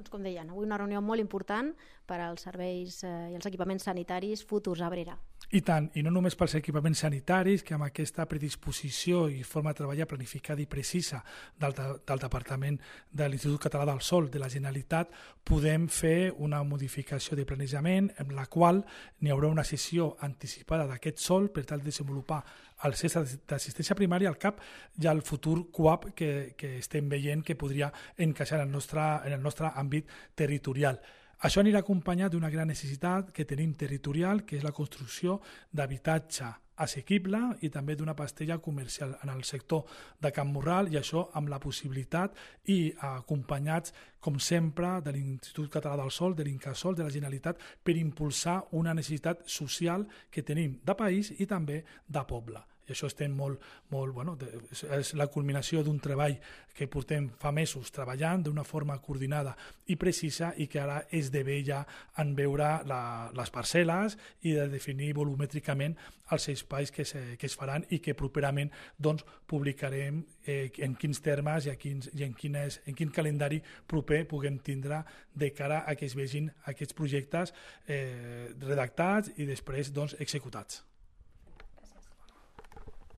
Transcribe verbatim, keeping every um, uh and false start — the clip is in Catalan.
Doncs com deien, avui una reunió molt important per als serveis eh, i els equipaments sanitaris futurs a Abrera. I tant, i no només pels equipaments sanitaris, que amb aquesta predisposició i forma de treballar planificada i precisa del, del Departament de l'Institut Català del Sòl de la Generalitat, podem fer una modificació de planejament en la qual n'hi haurà una sessió anticipada d'aquest sòl per tal de desenvolupar el centre d'assistència primària al cap i al futur C U A P que, que estem veient que podria encaixar en el nostre, en el nostre àmbit territorial. Això anirà acompanyat d'una gran necessitat que tenim territorial, que és la construcció d'habitatge assequible i també d'una pastella comercial en el sector de Can Morral, i això amb la possibilitat i acompanyats, com sempre, de l'Institut Català del Sòl, de l'Incasòl, de la Generalitat, per impulsar una necessitat social que tenim de país i també de poble. I això estem molt, molt, bueno, és la culminació d'un treball que portem fa mesos treballant d'una forma coordinada i precisa i que ara esdevé ja en veure la, les parcel·les i de definir volumètricament els espais que, se, que es faran i que properament doncs, publicarem eh, en quins termes i, a quins, i en, quines, en quin calendari proper puguem tindre de cara a que es vegin aquests projectes eh, redactats i després doncs, executats.